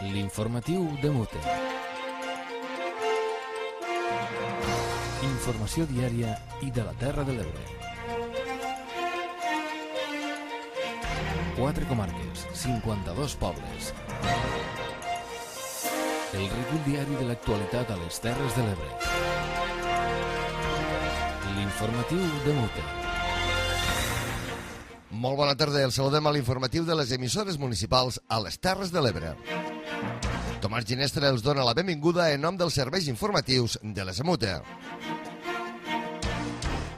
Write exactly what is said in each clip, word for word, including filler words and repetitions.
L'informatiu de Mute. Informació diària i de la Terra de l'Ebre. Quatre comarques, cinquanta-dos pobles. El recull diari de l'actualitat a les Terres de l'Ebre. L'informatiu de Mute. Molt bona tarda, el saludem a l'informatiu de les emissores municipals a les Terres de l'Ebre. Tomàs Ginestra els dona la benvinguda en nom dels serveis informatius de les Mute.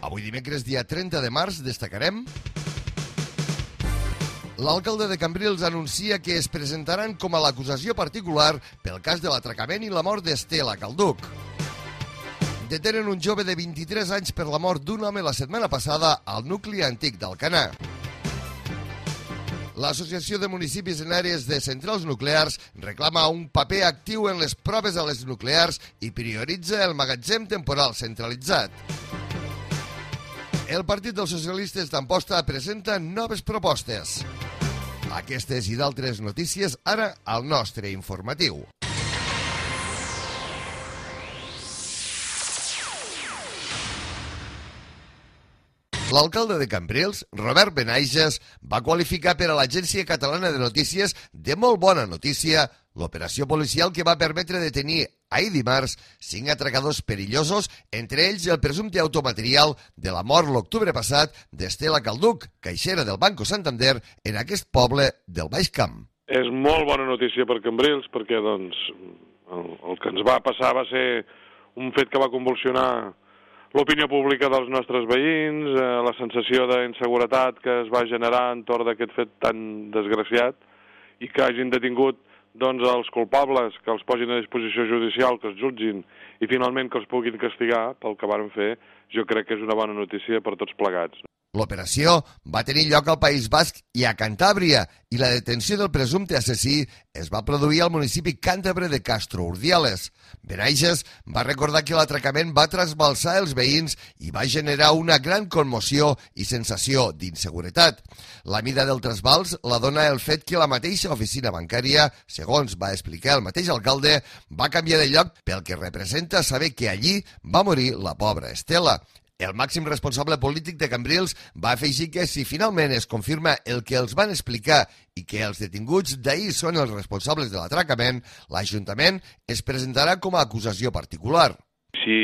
Avui dimecres, dia trenta de març, destacarem... L'alcalde de Cambrils anuncia que es presentaran com a l'acusació particular pel cas de l'atracament i la mort d'Estela Calduc. Detenen un jove de vint-i-tres anys per la mort d'un home la setmana passada al nucli antic d'Alcanar. L'Associació de Municipis en Àrees de Centrals Nuclears reclama un paper actiu en les proves a les nuclears i prioritza el magatzem temporal centralitzat. El Partit dels Socialistes d'Amposta presenta noves propostes. Aquestes i d'altres notícies ara al nostre informatiu. L'alcalde de Cambrils, Robert Benaiges, va qualificar per a l'Agència Catalana de Notícies de molt bona notícia l'operació policial que va permetre detenir ahir dimarts cinc atracadors perillosos, entre ells el presumpte automaterial de la mort l'octubre passat d'Estela Calduc, caixera del Banco Santander en aquest poble del Baix Camp. És molt bona notícia per Cambrils perquè doncs, el, el que ens va passar va ser un fet que va convulsionar l'opinió pública dels nostres veïns, eh, la sensació d'inseguretat que es va generar entorn d'aquest fet tan desgraciat i que hagin detingut doncs, els culpables, que els posin a disposició judicial, que els jutgin i finalment que els puguin castigar pel que varen fer, jo crec que és una bona notícia per tots plegats. L'operació va tenir lloc al País Basc i a Cantàbria i la detenció del presumpte assassí es va produir al municipi càntabre de Castro Urdiales. Benaiges va recordar que l'atracament va trasbalsar els veïns i va generar una gran commoció i sensació d'inseguretat. La mida del trasbals la dona el fet que la mateixa oficina bancària, segons va explicar el mateix alcalde, va canviar de lloc pel que representa saber que allí va morir la pobra Estela. El màxim responsable polític de Cambrils va afegir que si finalment es confirma el que els van explicar i que els detinguts d'ahir són els responsables de l'atracament, l'Ajuntament es presentarà com a acusació particular. Si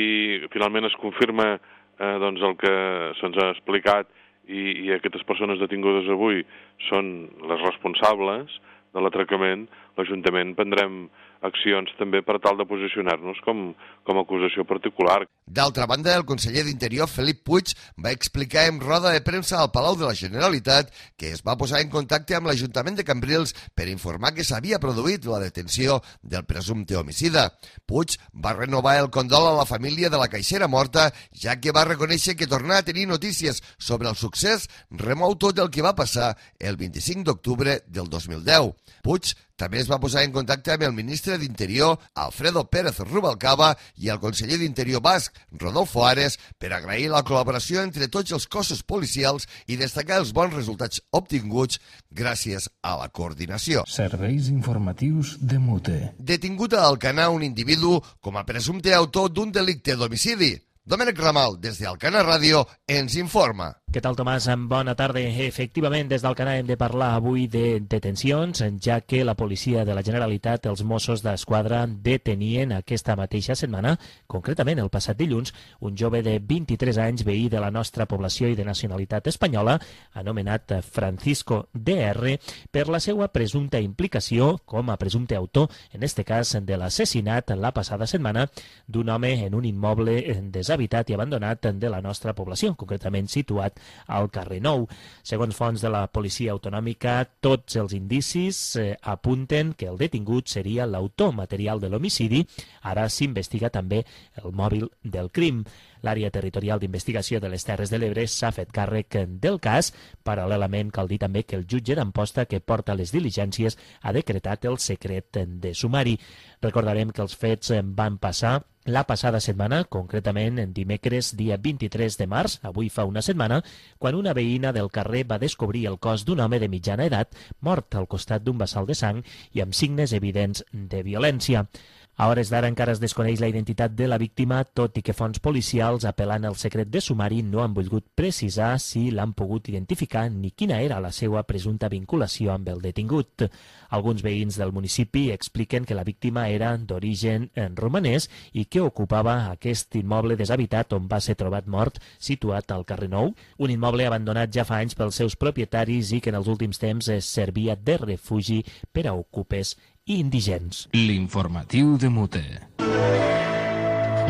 finalment es confirma eh, doncs el que se'ns ha explicat i, i aquestes persones detingudes avui són les responsables de l'atracament, l'Ajuntament prendrem accions també per tal de posicionar-nos com, com a acusació particular. D'altra banda, el conseller d'Interior, Felip Puig, va explicar en roda de premsa al Palau de la Generalitat que es va posar en contacte amb l'Ajuntament de Cambrils per informar que s'havia produït la detenció del presumpte homicida. Puig va renovar el condol a la família de la caixera morta, ja que va reconèixer que tornar a tenir notícies sobre el succés remou tot el que va passar el vint-i-cinc d'octubre del dos mil deu. Puig també es va posar en contacte amb el ministre d'Interior, Alfredo Pérez Rubalcaba, i el conseller d'Interior basc, Rodolfo Ares, per agrair la col·laboració entre tots els cossos policials i destacar els bons resultats obtinguts gràcies a la coordinació. Serveis informatius de Mute. Detingut a Alcanar un individu com a presumpte autor d'un delicte d'homicidi. Domènec Ramal, des d'Alcanar Ràdio, ens informa. Què tal, Tomàs? Bona tarda. Efectivament, des d'Alcanar hem de parlar avui de detencions, ja que la policia de la Generalitat, els Mossos d'Esquadra, detenien aquesta mateixa setmana, concretament el passat dilluns, un jove de vint-i-tres anys, veí de la nostra població i de nacionalitat espanyola, anomenat Francisco D R, per la seva presumpta implicació com a presumpte autor, en este cas de l'assassinat la passada setmana d'un home en un immoble deshabitat i abandonat de la nostra població, concretament situat al carrer Nou. Segons fonts de la policia autonòmica, tots els indicis eh, apunten que el detingut seria l'autor material de l'homicidi. Ara s'investiga també el mòbil del crim. L'àrea territorial d'investigació de les Terres de l'Ebre s'ha fet càrrec del cas. Paral·lelament, cal dir també que el jutge d'Amposta que porta les diligències ha decretat el secret de sumari. Recordarem que els fets van passar la passada setmana, concretament en dimecres dia vint-i-tres de març, avui fa una setmana, quan una veïna del carrer va descobrir el cos d'un home de mitjana edat mort al costat d'un bassal de sang i amb signes evidents de violència. A hores d'ara encara es desconeix la identitat de la víctima, tot i que fonts policials apel·lant al secret de sumari no han volgut precisar si l'han pogut identificar ni quina era la seva presumpta vinculació amb el detingut. Alguns veïns del municipi expliquen que la víctima era d'origen romanès i que ocupava aquest immoble deshabitat on va ser trobat mort, situat al carrer Nou, un immoble abandonat ja fa anys pels seus propietaris i que en els últims temps es servia de refugi per a ocupes i indigents. L'informatiu de Mute.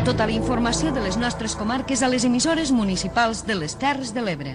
Tota la informació de les nostres comarques a les emissores municipals de les Terres de l'Ebre.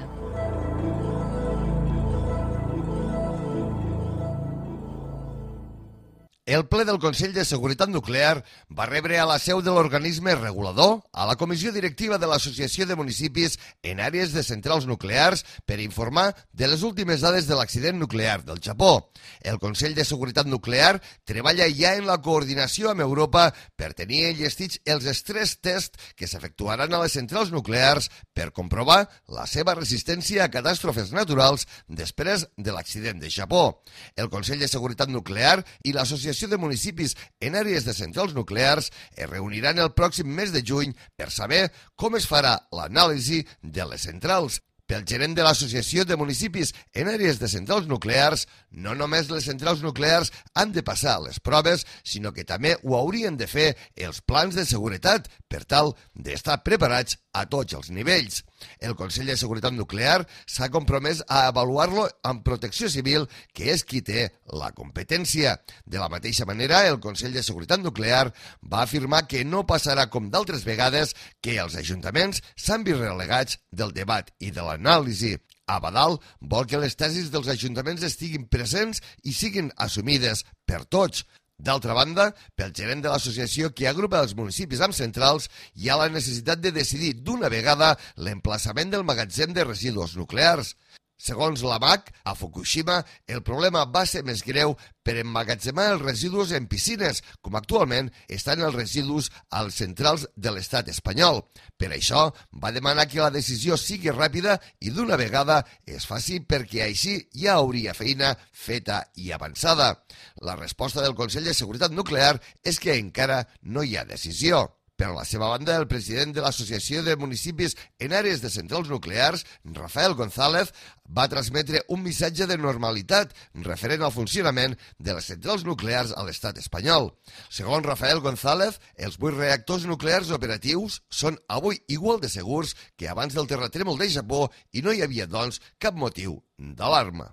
El ple del Consell de Seguretat Nuclear va rebre a la seu de l'organisme regulador a la comissió directiva de l'Associació de Municipis en àrees de centrals nuclears per informar de les últimes dades de l'accident nuclear del Japó. El Consell de Seguretat Nuclear treballa ja en la coordinació amb Europa per tenir enllestits els estrès test que s'efectuaran a les centrals nuclears per comprovar la seva resistència a catàstrofes naturals després de l'accident de Japó. El Consell de Seguretat Nuclear i l'Associació de Municipis en àrees de centrals nuclears es reuniran el pròxim mes de juny per saber com es farà l'anàlisi de les centrals. Pel gerent de l'Associació de Municipis en àrees de centrals nuclears, no només les centrals nuclears han de passar les proves, sinó que també ho haurien de fer els plans de seguretat per tal d'estar preparats a tots els nivells. El Consell de Seguretat Nuclear s'ha compromès a avaluar-lo amb Protecció Civil, que és qui té la competència. De la mateixa manera, el Consell de Seguretat Nuclear va afirmar que no passarà com d'altres vegades que els ajuntaments s'han vist relegats del debat i de l'anàlisi. Abadal vol que les tesis dels ajuntaments estiguin presents i siguin assumides per tots. D'altra banda, pel gerent de l'associació que agrupa els municipis amb centrals, hi ha la necessitat de decidir d'una vegada l'emplaçament del magatzem de residus nuclears. Segons l'A M A C, a Fukushima, el problema va ser més greu per emmagatzemar els residus en piscines, com actualment estan els residus als centrals de l'estat espanyol. Per això, va demanar que la decisió sigui ràpida i d'una vegada es faci perquè així ja hauria feina feta i avançada. La resposta del Consell de Seguretat Nuclear és que encara no hi ha decisió. Per la seva banda, el president de l'Associació de Municipis en àrees de centrals nuclears, Rafael González, va transmetre un missatge de normalitat referent al funcionament de les centrals nuclears a l'estat espanyol. Segons Rafael González, els vuit reactors nuclears operatius són avui igual de segurs que abans del terratrèmol de Japó i no hi havia, doncs, cap motiu d'alarma.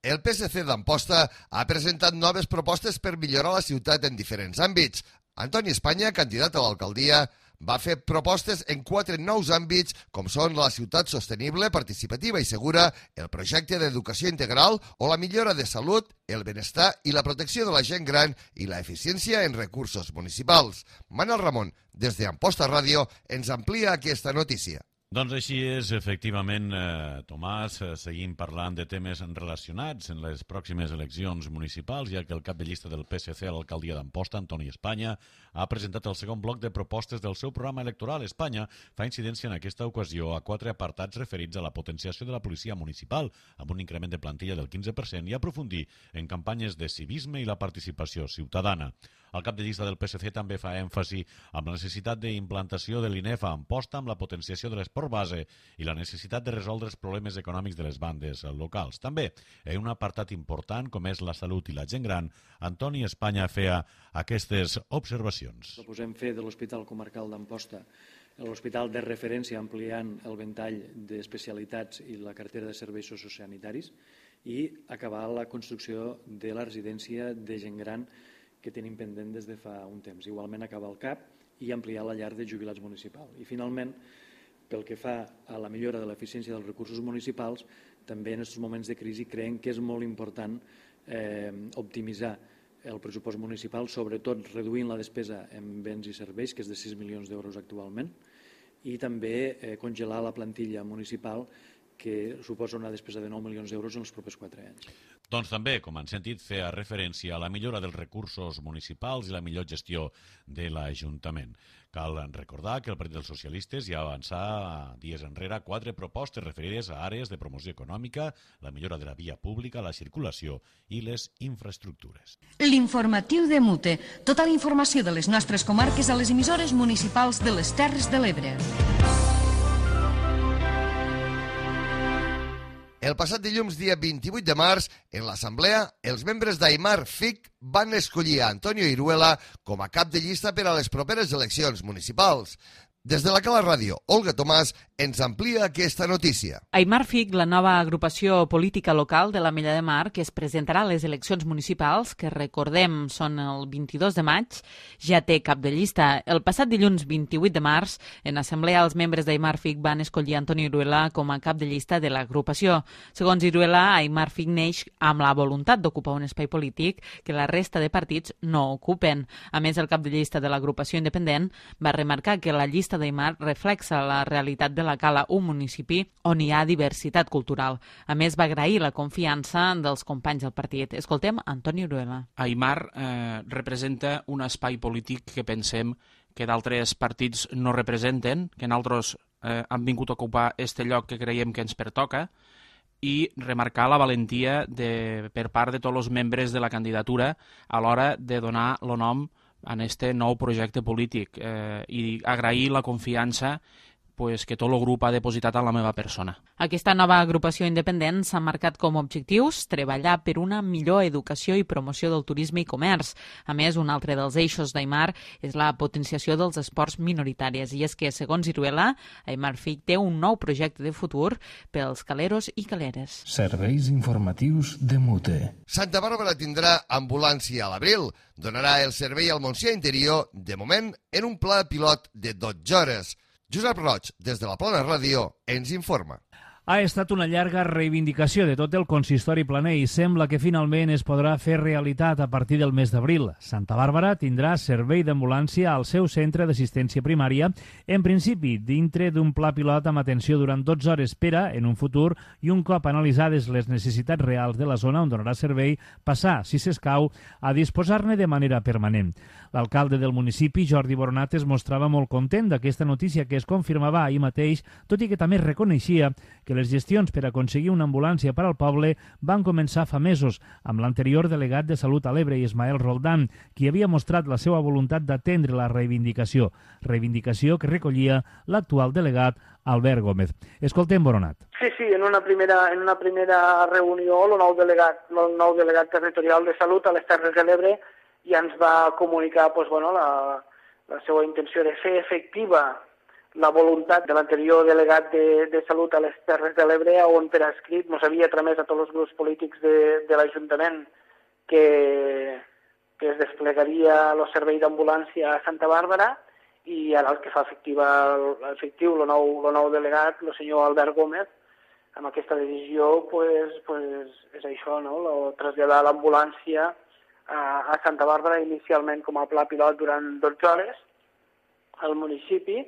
El P S C d'Amposta ha presentat noves propostes per millorar la ciutat en diferents àmbits. Antoni Espanya, candidat a l'alcaldia, va fer propostes en quatre nous àmbits, com són la ciutat sostenible, participativa i segura, el projecte d'educació integral o la millora de salut, el benestar i la protecció de la gent gran i la eficiència en recursos municipals. Manel Ramon, des d'Amposta Ràdio, ens amplia aquesta notícia. Doncs així és, efectivament, eh, Tomàs, eh, seguim parlant de temes relacionats en les pròximes eleccions municipals, ja que el cap de llista del P S C a l'alcaldia d'Amposta, Antoni Espanya, ha presentat el segon bloc de propostes del seu programa electoral. Espanya fa incidència en aquesta ocasió a quatre apartats referits a la potenciació de la policia municipal, amb un increment de plantilla del quinze per cent, i aprofundir en campanyes de civisme i la participació ciutadana. El cap de llista del P S C també fa èmfasi amb la necessitat d'implantació de l'I N E F a Amposta, amb la potenciació de l'esport base i la necessitat de resoldre els problemes econòmics de les bandes locals. També, en un apartat important com és la salut i la gent gran, Antoni Espanya feia aquestes observacions. Proposem fer de l'Hospital Comarcal d'Amposta l'hospital de referència, ampliant el ventall d'especialitats i la cartera de serveis sociosanitaris, i acabar la construcció de la residència de gent gran que tenim pendent des de fa un temps. Igualment acabar el C A P i ampliar la llar de jubilats municipal. I finalment, pel que fa a la millora de l'eficiència dels recursos municipals, també en aquests moments de crisi creiem que és molt important eh, optimitzar el pressupost municipal, sobretot reduint la despesa en béns i serveis, que és de sis milions d'euros actualment, i també eh, congelar la plantilla municipal, que suposa una despesa de nou milions d'euros en els propers quatre anys. Doncs també, com han sentit, feia referència a la millora dels recursos municipals i la millor gestió de l'Ajuntament. Cal recordar que el Partit dels Socialistes ja avançà dies enrere quatre propostes referides a àrees de promoció econòmica, la millora de la via pública, la circulació i les infraestructures. L'informatiu de Mute. Tota la informació de les nostres comarques a les emissores municipals de les Terres de l'Ebre. El passat dilluns, dia vint-i-vuit de març, en l'Assemblea, els membres d'Aimar F I C van escollir a Antonio Iruela com a cap de llista per a les properes eleccions municipals. Des de la Cala Ràdio, Olga Tomàs ens amplia aquesta notícia. Aimar F I C, la nova agrupació política local de l'Ametlla de Mar, que es presentarà a les eleccions municipals, que recordem són el vint-i-dos de maig, ja té cap de llista. El passat dilluns vint-i-vuit de març, en assemblea, els membres d'Aimar F I C van escollir Antonio Iruela com a cap de llista de l'agrupació. Segons Iruela, Aimar F I C neix amb la voluntat d'ocupar un espai polític que la resta de partits no ocupen. A més, el cap de llista de l'agrupació independent va remarcar que la llista d'Aimar reflexa la realitat de la Cala, un municipi on hi ha diversitat cultural. A més, va agrair la confiança dels companys del partit. Escoltem Antonio Iruela. Aimar eh, representa un espai polític que pensem que d'altres partits no representen, que nosaltres eh, han vingut a ocupar este lloc que creiem que ens pertoca, i remarcar la valentia de, per part de tots els membres de la candidatura a l'hora de donar el nom en este nou projecte polític eh, i agrair la confiança pues, que tot el grup ha depositat en la meva persona. Aquesta nova agrupació independent s'ha marcat com a objectius treballar per una millor educació i promoció del turisme i comerç. A més, un altre dels eixos d'Aimar és la potenciació dels esports minoritaris, i és que, segons Iruela, Aimar F I C té un nou projecte de futur pels caleros i caleres. Serveis informatius de Mute. Santa Bàrbara tindrà ambulància a l'abril. Donarà el servei al Montsià Interior, de moment, en un pla pilot de dotze hores. Josep Roig, des de la Plana Ràdio, ens informa. Ha estat una llarga reivindicació de tot el consistori planer i sembla que finalment es podrà fer realitat a partir del mes d'abril. Santa Bàrbara tindrà servei d'ambulància al seu centre d'assistència primària, en principi dintre d'un pla pilot amb atenció durant dotze hores per a, en un futur, i un cop analitzades les necessitats reals de la zona on donarà servei, passar, si s'escau, a disposar-ne de manera permanent. L'alcalde del municipi, Jordi Boronat, es mostrava molt content d'aquesta notícia que es confirmava ahir mateix, tot i que també reconeixia que les gestions per aconseguir una ambulància per al poble van començar fa mesos amb l'anterior delegat de Salut a l'Ebre, Ismael Roldán, qui havia mostrat la seva voluntat d'atendre la reivindicació, reivindicació que recollia l'actual delegat Albert Gómez. Escoltem Boronat. Sí, sí, en una primera, en una primera reunió el nou delegat, el nou delegat territorial de Salut a les Terres de l'Ebre ja ens va comunicar pues, bueno, la, la seva intenció de fer efectiva la voluntat de l'anterior delegat de, de Salut a les Terres de l'Ebre, on per escrit ens havia tramès a tots els grups polítics de, de l'Ajuntament que, que es desplegaria el servei d'ambulància a Santa Bàrbara, i ara el que fa efectiva, efectiu el nou, el nou delegat, el senyor Albert Gómez, amb aquesta decisió pues, pues, és això, no? Lo, traslladar l'ambulància a, a Santa Bàrbara inicialment com a pla pilot durant dotze hores al municipi,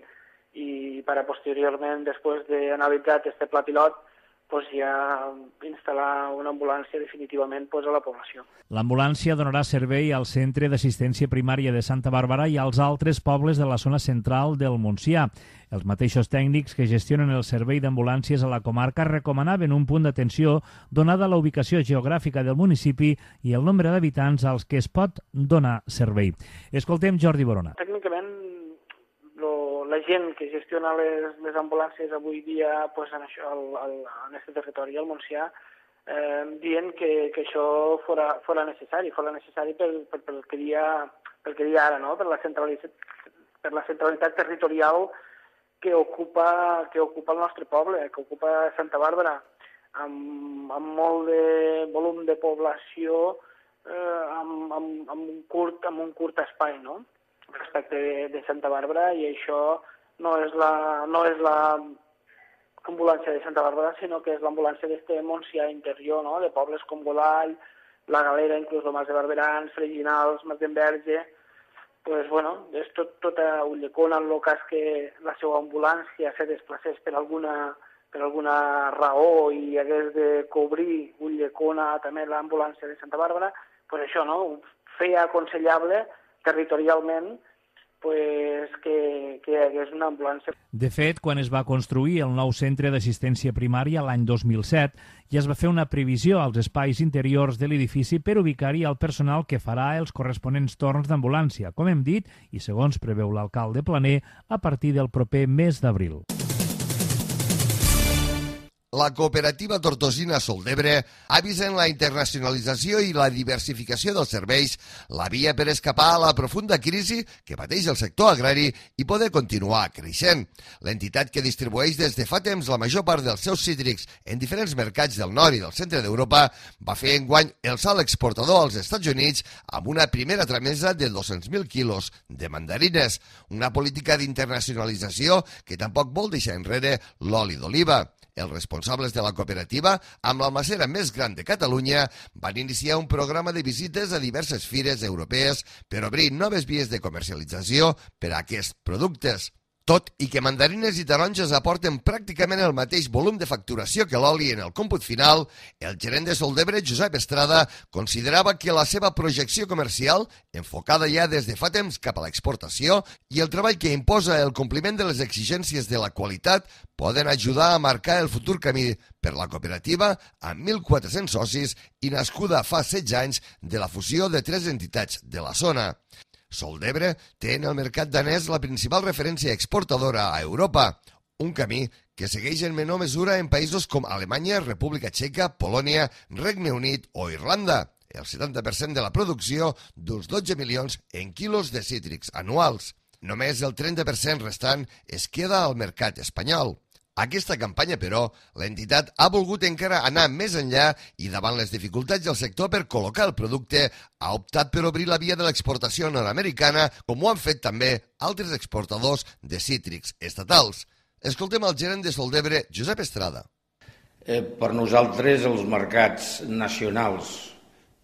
i per a posteriorment, després d'analitzar aquest pla pilot, pues ja instal·lar una ambulància definitivament pues, a la població. L'ambulància donarà servei al Centre d'Assistència Primària de Santa Bàrbara i als altres pobles de la zona central del Montsià. Els mateixos tècnics que gestionen el servei d'ambulàncies a la comarca recomanaven un punt d'atenció donada la ubicació geogràfica del municipi i el nombre d'habitants als que es pot donar servei. Escoltem Jordi Boronat. Tècnicament, la gent que gestiona les, les ambulàncies avui dia pues, en això, al, al, en aquest territori, al Montsià, eh, dient que, que això fora, fora necessari, fora necessari pel, pel, pel, que dia, pel que dia ara, no? per, la per la centralitat territorial que ocupa, que ocupa el nostre poble, que ocupa Santa Bàrbara, amb, amb molt de volum de població, eh, amb, amb, amb, un curt, amb un curt espai, no? respecte de, de Santa Bàrbara, i això no és la no és la ambulància de Santa Bàrbara, sinó que és l'ambulància d'este Montsià interior, no? de pobles com Godall, la Galera, inclús el Mas de Barberans, Freginals, Mas d'Enverge, pues, bueno, és tot, tota Ulldecona, en el cas que la seva ambulància se desplacés per alguna, per alguna raó i hagués de cobrir Ulldecona, també l'ambulància de Santa Bàrbara, pues això, no?, feia aconsellable territorialment pues, que, que hi hagués una ambulància. De fet, quan es va construir el nou centre d'assistència primària l'any dos mil set, ja es va fer una previsió als espais interiors de l'edifici per ubicar-hi el personal que farà els corresponents torns d'ambulància, com hem dit, i segons preveu l'alcalde Planer, a partir del proper mes d'abril. La cooperativa tortosina Sol d'Ebre ha vist en la internacionalització i la diversificació dels serveis la via per escapar a la profunda crisi que pateix el sector agrari i poder continuar creixent. L'entitat que distribueix des de fa temps la major part dels seus cítrics en diferents mercats del nord i del centre d'Europa va fer enguany el salt exportador als Estats Units amb una primera tramesa de dos-cents mil quilos de mandarines, una política d'internacionalització que tampoc vol deixar enrere l'oli d'oliva. Els responsables de la cooperativa, amb l'almacera més gran de Catalunya, van iniciar un programa de visites a diverses fires europees per obrir noves vies de comercialització per a aquests productes. Tot i que mandarines i taronges aporten pràcticament el mateix volum de facturació que l'oli en el còmput final, el gerent de Sol d'Ebre, Josep Estrada, considerava que la seva projecció comercial, enfocada ja des de fa temps cap a l'exportació, i el treball que imposa el compliment de les exigències de la qualitat poden ajudar a marcar el futur camí per la cooperativa amb mil quatre-cents socis i nascuda fa setze anys de la fusió de tres entitats de la zona. Sol d'Ebre té en el mercat danès la principal referència exportadora a Europa, un camí que segueix en menor mesura en països com Alemanya, República Txeca, Polònia, Regne Unit o Irlanda, el setanta per cent de la producció d'uns dotze milions en quilos de cítrics anuals. Només el trenta per cent restant es queda al mercat espanyol. Aquesta campanya, però, l'entitat ha volgut encara anar més enllà i davant les dificultats del sector per col·locar el producte ha optat per obrir la via de l'exportació nord-americana, com ho han fet també altres exportadors de cítrics estatals. Escoltem el gerent de Sol d'Ebre, Josep Estrada. Eh, per nosaltres els mercats nacionals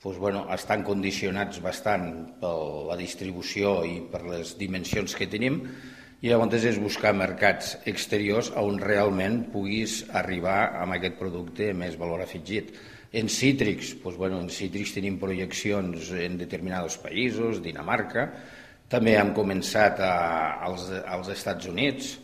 pues, bueno, estan condicionats bastant per la distribució i per les dimensions que tenim, i llavors és buscar mercats exteriors on realment puguis arribar amb aquest producte més valor afegit. En cítrics, doncs, bueno, en cítrics tenim projeccions en determinats països, Dinamarca, també hem començat a, als, als Estats Units,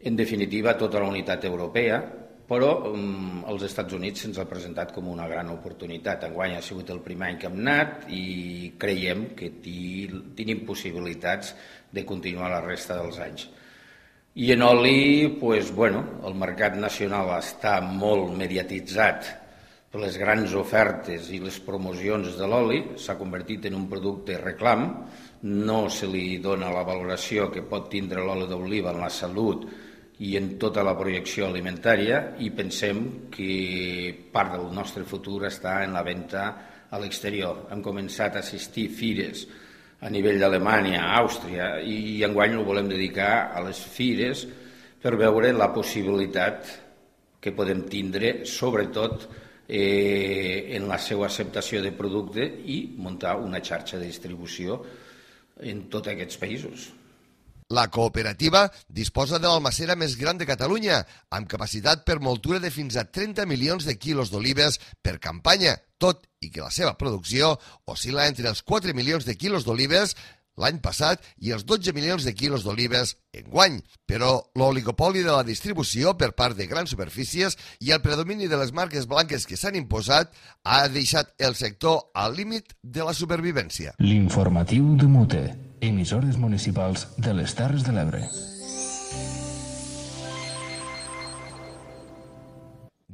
en definitiva tota la unitat europea, però um, els Estats Units se'ns ha presentat com una gran oportunitat. Enguany ha sigut el primer any que hem anat i creiem que tenim possibilitats de continuar la resta dels anys. I en oli, pues, bueno, el mercat nacional està molt mediatitzat per les grans ofertes i les promocions de l'oli, s'ha convertit en un producte reclam, no se li dona la valoració que pot tindre l'oli d'oliva en la salut i en tota la projecció alimentària, i pensem que part del nostre futur està en la venda a l'exterior. Hem començat a assistir fires a nivell d'Alemanya, Àustria, i enguany ho volem dedicar a les fires per veure la possibilitat que podem tindre, sobretot eh, en la seva acceptació de producte i muntar una xarxa de distribució en tots aquests països. La cooperativa disposa de l'almacera més gran de Catalunya, amb capacitat per moltura de fins a trenta milions de quilos d'olives per campanya, tot i que la seva producció oscil·la entre els quatre milions de quilos d'olives l'any passat i els dotze milions de quilos d'olives enguany. Però l'oligopoli de la distribució per part de grans superfícies i el predomini de les marques blanques que s'han imposat ha deixat el sector al límit de la supervivència. L'informatiu de Mute, emissores municipals de les Terres de l'Ebre.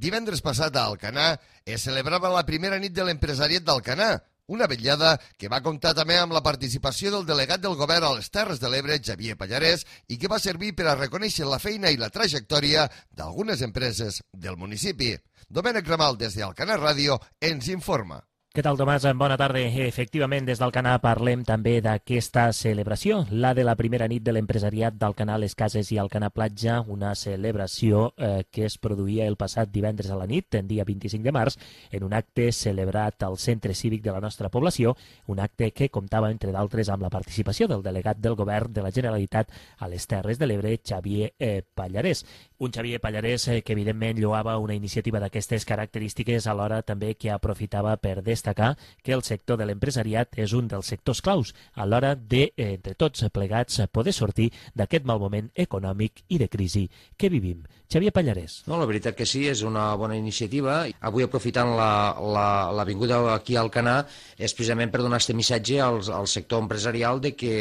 Divendres passat a Alcanar es celebrava la primera nit de l'empresariat d'Alcanar, una vetllada que va comptar també amb la participació del delegat del govern a les Terres de l'Ebre, Xavier Pallarès, i que va servir per a reconèixer la feina i la trajectòria d'algunes empreses del municipi. Domènec Ramal, des d'Alcanar Ràdio, ens informa. Què tal, Tomàs? Bona tarda. Efectivament, des d'Alcanar parlem també d'aquesta celebració, la de la primera nit de l'empresariat d'Alcanar Les Cases i Alcanar Platja, una celebració eh, que es produïa el passat divendres a la nit, el dia vint-i-cinc de març, en un acte celebrat al centre cívic de la nostra població, un acte que comptava, entre d'altres, amb la participació del delegat del govern de la Generalitat a les Terres de l'Ebre, Xavier eh, Pallarès. Un Xavier Pallarès eh, que, evidentment, lloava una iniciativa d'aquestes característiques, alhora també que aprofitava per destacar que el sector de l'empresariat és un dels sectors claus a l'hora de, eh, entre tots plegats, poder sortir d'aquest mal moment econòmic i de crisi que vivim. Xavier Pallarès. No, la veritat que sí, és una bona iniciativa. Avui, aprofitant la, la, la vinguda aquí al Alcanar, és precisament per donar aquest missatge al, al sector empresarial de que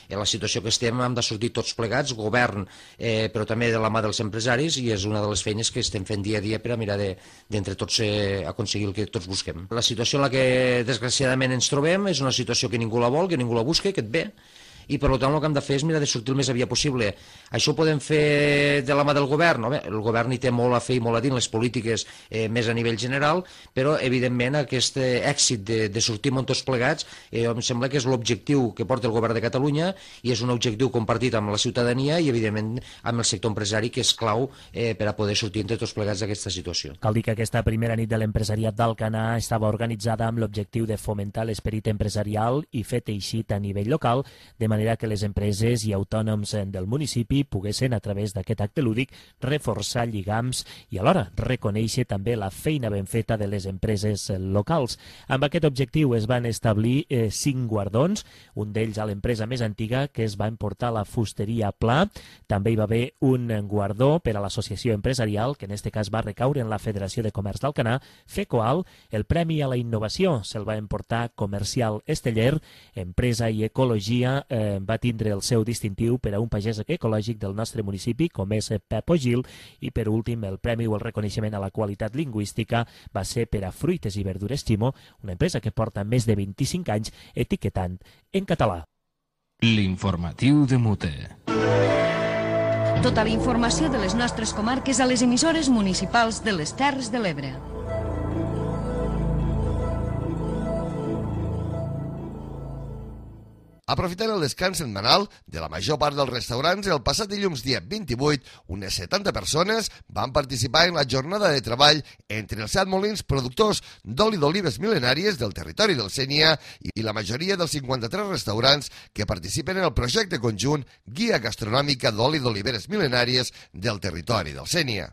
en la situació que estem hem de sortir tots plegats, govern, eh, però també de la mà dels empresaris, i és una de les feines que estem fent dia a dia per a mirar d'entre de, tots eh, aconseguir el que tots busquem. La situació en la que desgraciadament ens trobem és una situació que ningú la vol, que ningú la busca, que et ve, i per tant el que hem de fer és mirar de sortir el més aviat possible. Això ho podem fer de la mà del govern, no? Bé, el govern hi té molt a fer i molt a dir en les polítiques eh, més a nivell general, però evidentment aquest èxit de, de sortir amb tots plegats eh, em sembla que és l'objectiu que porta el govern de Catalunya i és un objectiu compartit amb la ciutadania i evidentment amb el sector empresari, que és clau eh, per a poder sortir entre tots plegats d'aquesta situació. Cal dir que aquesta primera nit de l'empresariat d'Alcanar estava organitzada amb l'objectiu de fomentar l'esperit empresarial i fer teixit a nivell local, de manera que les empreses i autònoms del municipi poguessin, a través d'aquest acte lúdic, reforçar lligams i alhora reconèixer també la feina ben feta de les empreses locals. Amb aquest objectiu es van establir eh, cinc guardons, un d'ells a l'empresa més antiga, que es va emportar la fusteria Pla. També hi va haver un guardó per a l'associació empresarial, que en aquest cas va recaure en la Federació de Comerç d'Alcanar, FECOAL. El Premi a la Innovació se'l va emportar Comercial Esteller. Empresa i Ecologia eh, va tindre el seu distintiu per a un pagès ecològic del nostre municipi, com és Pep Ogil, i per últim el premi o el reconeixement a la qualitat lingüística va ser per a Fruites i Verdures Ximo, una empresa que porta més de vint-i-cinc anys etiquetant en català. L'informatiu de Mute. Tota la informació de les nostres comarques a les emissores municipals de les Terres de l'Ebre. Aprofitant el descans setmanal de la major part dels restaurants, el passat dilluns dia vint-i-vuit, unes setanta persones van participar en la jornada de treball entre els set molins productors d'oli d'olives mil·lenàries del territori del Sénia i la majoria dels cinquanta-tres restaurants que participen en el projecte conjunt Guia Gastronòmica d'oli d'oliveres mil·lenàries del territori del Sénia.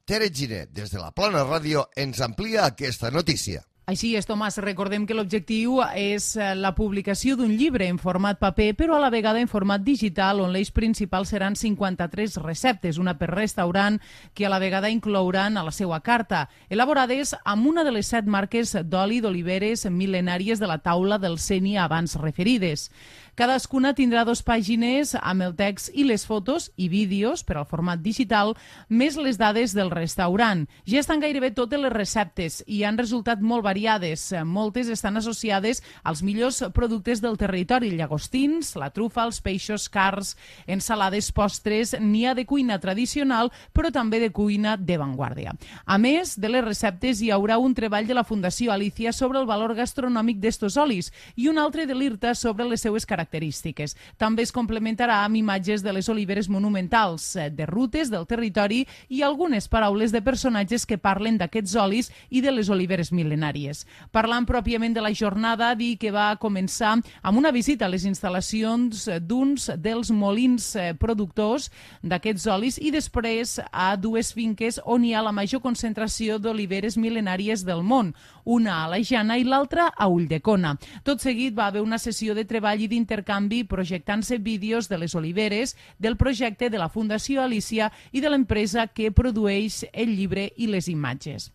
Tere Ginet, des de la Plana Ràdio, ens amplia aquesta notícia. Així és, Tomàs. Recordem que l'objectiu és la publicació d'un llibre en format paper, però a la vegada en format digital, on l'eix principal seran cinquanta-tres receptes, una per restaurant, que a la vegada inclouran a la seva carta, elaborades amb una de les set marques d'oli d'oliveres mil·lenàries de la taula del Sénia abans referides. Cadascuna tindrà dues pàgines amb el text i les fotos i vídeos per al format digital, més les dades del restaurant. Ja estan gairebé totes les receptes i han resultat molt variades. Moltes estan associades als millors productes del territori: llagostins, la trufa, els peixos, carns, ensalades, postres. N'hi ha de cuina tradicional, però també de cuina d'avantguàrdia. A més de les receptes, hi haurà un treball de la Fundació Alicia sobre el valor gastronòmic d'estos olis i un altre de l'I R T A sobre les seues característiques. característiques. També es complementarà amb imatges de les oliveres monumentals, de rutes del territori i algunes paraules de personatges que parlen d'aquests olis i de les oliveres mil·lenàries. Parlant pròpiament de la jornada, dir que va començar amb una visita a les instal·lacions d'uns dels molins productors d'aquests olis i després a dues finques on hi ha la major concentració d'oliveres mil·lenàries del món, una a la Jana i l'altra a Ulldecona. Tot seguit va haver una sessió de treball i d'intercanvi projectant-se vídeos de les oliveres, del projecte de la Fundació Alicia i de l'empresa que produeix el llibre i les imatges.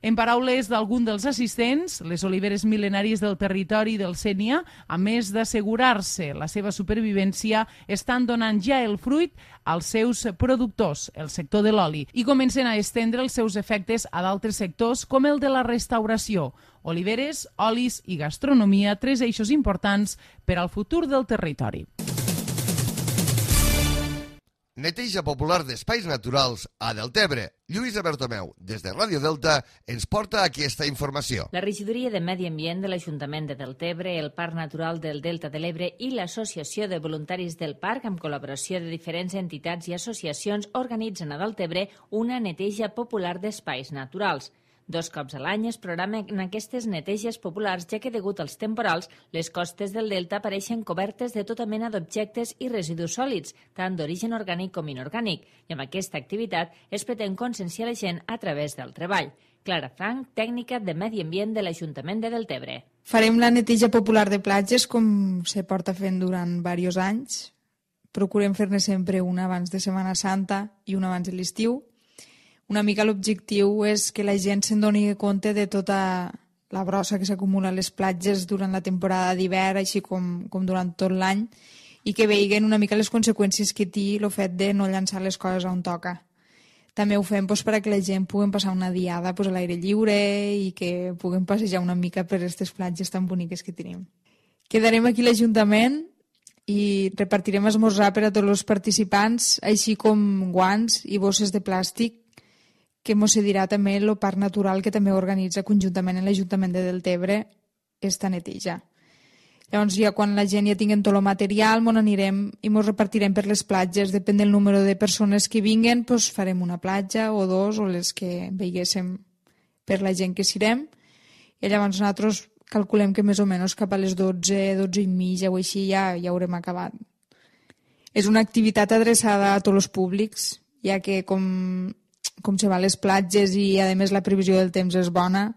En paraules d'algun dels assistents, les oliveres mil·lenàries del territori del Sénia, a més d'assegurar-se la seva supervivència, estan donant ja el fruit als seus productors, el sector de l'oli, i comencen a estendre els seus efectes a d'altres sectors com el de la restauració. Oliveres, olis i gastronomia, tres eixos importants per al futur del territori. Neteja popular d'espais naturals a Deltebre. Lluïsa Bertomeu, des de Ràdio Delta, ens porta aquesta informació. La regidoria de Medi Ambient de l'Ajuntament de Deltebre, el Parc Natural del Delta de l'Ebre i l'Associació de Voluntaris del Parc, amb col·laboració de diferents entitats i associacions, organitzen a Deltebre una neteja popular d'espais naturals. Dos cops a l'any es programen aquestes neteges populars, ja que degut als temporals, les costes del delta apareixen cobertes de tota mena d'objectes i residus sòlids, tant d'origen orgànic com inorgànic, i amb aquesta activitat es pretén conscienciar la gent a través del treball. Clara Frank, tècnica de Medi Ambient de l'Ajuntament de Deltebre. Farem la neteja popular de platges com se porta fent durant diversos anys. Procurem fer-ne sempre una abans de Setmana Santa i una abans de l'estiu. Una mica l'objectiu és que la gent se'n doni compte de tota la brossa que s'acumula a les platges durant la temporada d'hivern, així com, com durant tot l'any, i que veiguen una mica les conseqüències que té el fet de no llançar les coses on toca. També ho fem doncs, perquè la gent pugui passar una diada doncs, a l'aire lliure i que puguem passejar una mica per aquestes platges tan boniques que tenim. Quedarem aquí a l'Ajuntament i repartirem esmorzar per a tots els participants, així com guants i bosses de plàstic, que mos cedirà també el Parc Natural, que també organitza conjuntament amb l'Ajuntament de Deltebre esta neteja. Llavors, ja quan la gent ja tingui tot el material, mos anirem i mos repartirem per les platges. Depèn del número de persones que vinguen, doncs farem una platja o dos, o les que veiguéssim per la gent que sirem. I llavors nosaltres calculem que més o menys cap a les dotze, dotze i mitja o així ja, ja haurem acabat. És una activitat adreçada a tots els públics, ja que com... com se va a les platges i, a més, la previsió del temps és bona,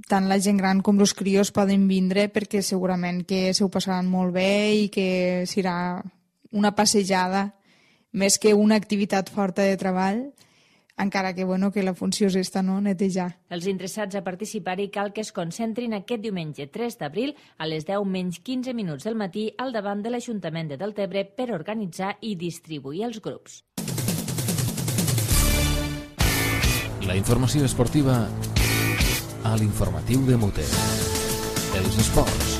tant la gent gran com els crios poden vindre perquè segurament que se ho passaran molt bé i que serà una passejada més que una activitat forta de treball, encara que, bueno, que la funció és esta, no?, netejar. Els interessats a participar-hi cal que es concentrin aquest diumenge tres d'abril a les deu menys quinze minuts del matí al davant de l'Ajuntament de Deltebre per organitzar i distribuir els grups. La informació esportiva a l'informatiu de Mute. Els esports.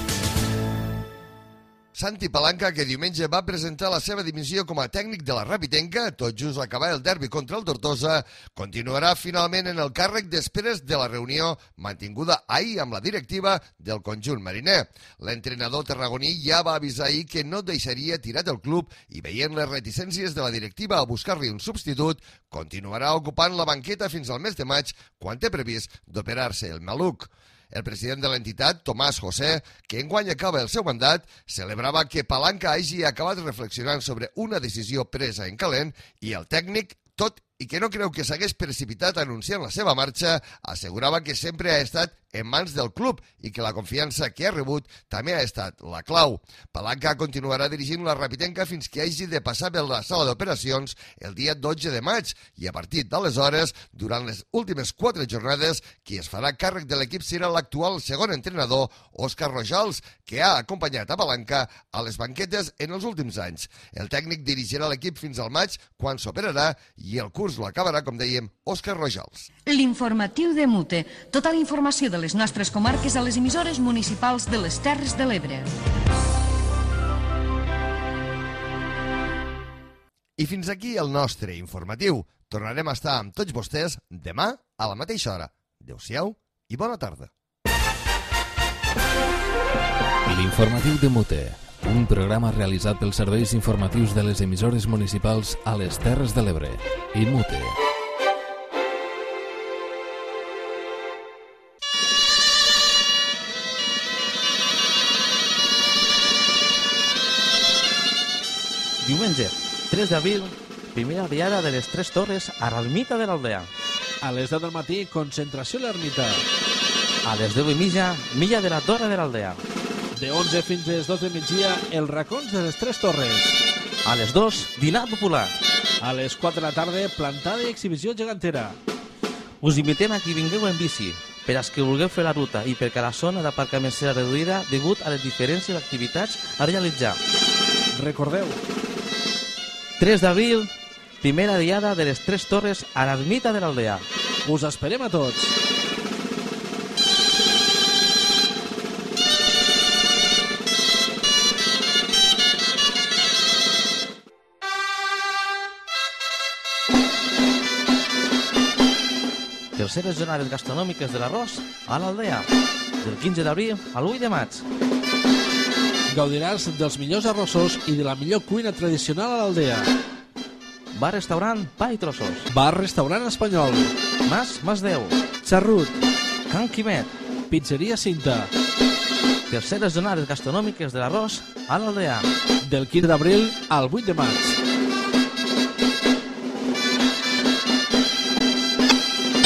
Santi Palanca, que diumenge va presentar la seva dimissió com a tècnic de la Rapitenca, tot just acabar el derbi contra el Tortosa, continuarà finalment en el càrrec després de la reunió mantinguda ahir amb la directiva del conjunt mariner. L'entrenador tarragoní ja va avisar ahir que no deixaria tirat el club i, veient les reticències de la directiva a buscar-li un substitut, continuarà ocupant la banqueta fins al mes de maig, quan té previst d'operar-se el maluc. El president de l'entitat, Tomàs José, que enguany acaba el seu mandat, celebrava que Palanca hagi acabat reflexionant sobre una decisió presa en calent i el tècnic, tot i que no creu que s'hagués precipitat anunciant la seva marxa, assegurava que sempre ha estat en mans del club i que la confiança que ha rebut també ha estat la clau. Palanca continuarà dirigint la Rapitenca fins que hagi de passar per la sala d'operacions el dia dotze de maig i a partir d'aleshores, durant les últimes quatre jornades, qui es farà càrrec de l'equip serà l'actual segon entrenador, Òscar Rojals, que ha acompanyat a Palanca a les banquetes en els últims anys. El tècnic dirigirà l'equip fins al maig, quan s'operarà, i el curs l'acabarà, com dèiem, Òscar Rojals. L'informatiu de Mute. Tota la informació de les nostres comarques a les emissores municipals de les Terres de l'Ebre. I fins aquí el nostre informatiu. Tornarem a estar amb tots vostès demà a la mateixa hora. Adéu-siau i bona tarda. L'informatiu de Mute, un programa realitzat pels serveis informatius de les emissores municipals a les Terres de l'Ebre i Mute. Diumenge, tres d'abril, primera diada de les Tres Torres a l'Ermita de l'Aldea. A les deu del matí, concentració a l'Ermita. A les deu i mitja, milla de la Torre de l'Aldea. De onze fins a les dos de migdia, els racons de les Tres Torres. A les dos, dinar popular. A les quatre de la tarda, plantada i exhibició gegantera. Us invitem a qui vingueu en bici, per als que vulgueu fer la ruta i perquè la zona d'aparcament serà reduïda degut a les diferents activitats a realitzar. Recordeu, tres d'abril, primera diada de les Tres Torres a l'Ermita de l'Aldea. Us esperem a tots. Terceres jornades gastronòmiques de l'arròs a l'Aldea, del quinze d'abril al vuit de maig. Gaudiràs dels millors arrossos i de la millor cuina tradicional a l'Aldea. Bar-restaurant Pa i Trossos. Bar-restaurant espanyol. Mas Masdeu. Xarrut. Can Quimet. Pizzeria Cinta. Terceres jornades gastronòmiques de l'arròs a l'Aldea. Del quinze d'abril al vuit de maig.